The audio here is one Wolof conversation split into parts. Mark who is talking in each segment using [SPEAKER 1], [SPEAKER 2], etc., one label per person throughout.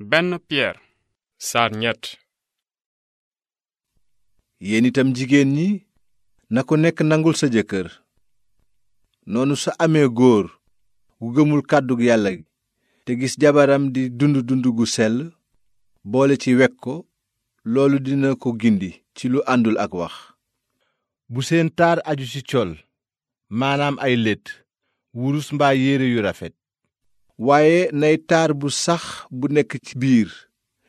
[SPEAKER 1] benn Pierre saar ñett.
[SPEAKER 2] yéen itam jigéen ñi na ku nekk nangul sa jëkkër noonu sa amee góor gu gëmul kàddu yàlla gi te gis jabaram di dund gu sell boole ci wekk ko loolu dina ko gindi ci lu àndul ak wax. bu seen taar aju ci col maanaam ay létt wurus mbaa yére yu rafet waaye nay taar bu sax bu nekk ci biir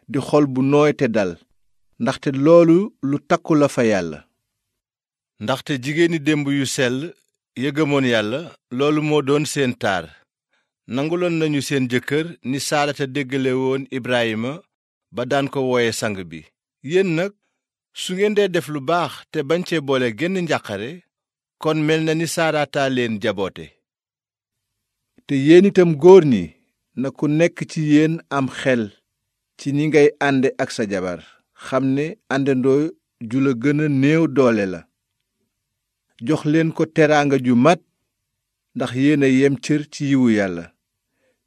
[SPEAKER 2] di xol bu nooy te dal ndaxte loolu lu takku la fa yàlla. ndaxte jigéeni démb yu sell ya gëmoon yàlla loolu moo doon seen taar nanguloon nañu seen jëkkër ni saarata déggale woon Ibrahima ba daan ko wooye sang bi. yéen nag su ngeen dee def lu baax te bañ cee boole genn njàqare kon mel na ni saarata leen jaboote. te yéen itam góor ñi na ku nekk ci yéen am xel ci ni ngay ànde ak sa jabar xam ne àndandoo ju la gën a néew doole la. jox leen ko teraanga ju mat ndax yéen a yem cër ci yiwu yàlla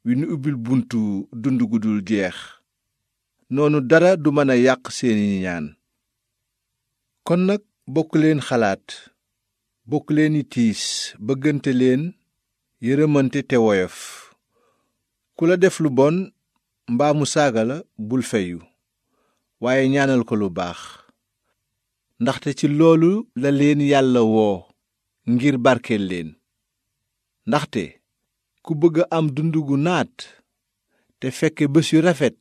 [SPEAKER 2] wi nu ubbil buntu dund gu dul jeex noonu dara du mën a yàq seeni ñaan. kon nag bokk leen xalaat bokk leen i tiis bëggante leen yërëmante te woyof ku la def lu bon mbaa mu saaga la bul feyu waaye ñaanal ko lu baax ndaxte ci loolu la leen yàlla woo ngir barkeel leen. ndaxte ku bëgg a am dund gu naat te fekke bés yu rafet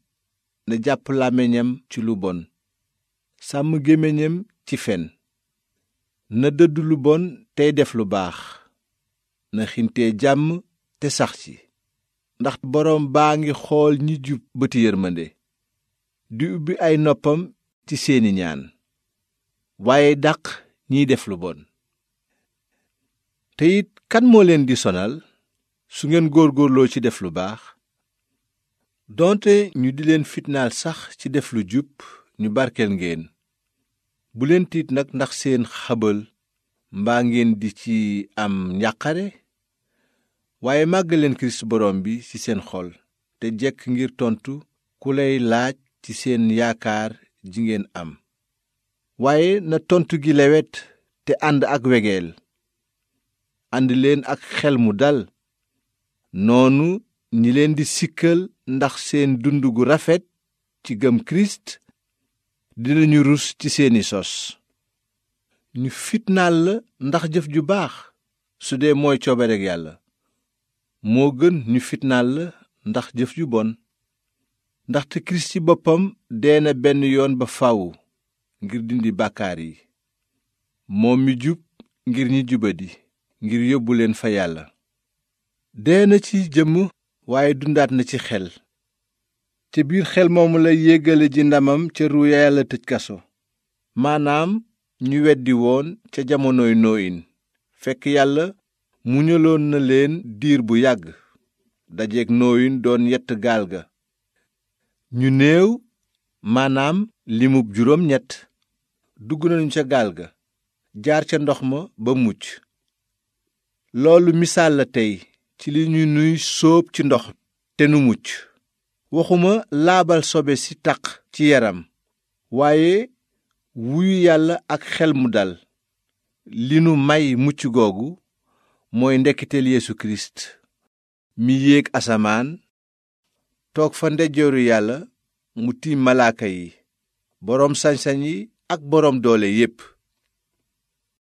[SPEAKER 2] na jàpp làmmiñam ci lu bon sàmm gémmiñam ci fen na dëddu lu bon tey def lu baax na xintee jàmm te sax ci ndax boroom baa ngi xool ñi jub bëti yërmande di ubbi ay noppam ci seeni ñaan waaye dàq ñiy def lu bon. te it kan moo leen di sonal su ngeen góorgóorloo ci def lu baax doonte ñu di leen fitnaal sax ci def lu jub ñu barkeel ngeen. bu leen tiit nag ndax seen xabal mbaa ngeen di ci am njàqare waaye màggal leen Kirist borom bi ci seen xol te jekk ngir tontu ku lay laaj ci seen yaakaar ji ngeen am waaye na tontu gi lewet te ànd ak wegeel. ànd leen ak xel mu dal noonu ñi leen di sikkal ndax seen dund gu rafet ci gëm Kirist dinañu rus ci seeni sos. ñu fitnaal la ndax jëf ju baax su dee mooy coobareg yàlla moo gën ñu fitnaal la ndax jëf ju bon. ndaxte Kirist ci boppam dee na benn yoon ba faw ngir dindi bàkkaar yi moom mi jub ngir ñi jubadi ngir yóbbu leen fa yàlla. dee na ci jëmm waaye dundaat na ci xel ca biir xel moomu la yéggale ji ndamam ca ru ya yàlla tëj kaso maanaam ñu weddi woon ca jamonoy nooyin fekk yàlla muñaloon na leen diir bu yàgg dajeek nooyin doon yett gaal ga. ñu néew maanaam limub juróom ñett dugg nañu ca gaal ga jaar ca ndox ma ba mucc. loolu misaal la tey ci li ñu nuy sóob ci ndox te nu mucc waxuma laabal sobe si taq ci yaram waaye wuyu yàlla ak xel mu dal. li nu may mucc googu mooy ndekkiteel Yeesu Kirist mi yéeg asamaan toog fa ndeyjooru yàlla mu tiim malaaka yi boroom sañ-sañ yi ak boroom doole yépp.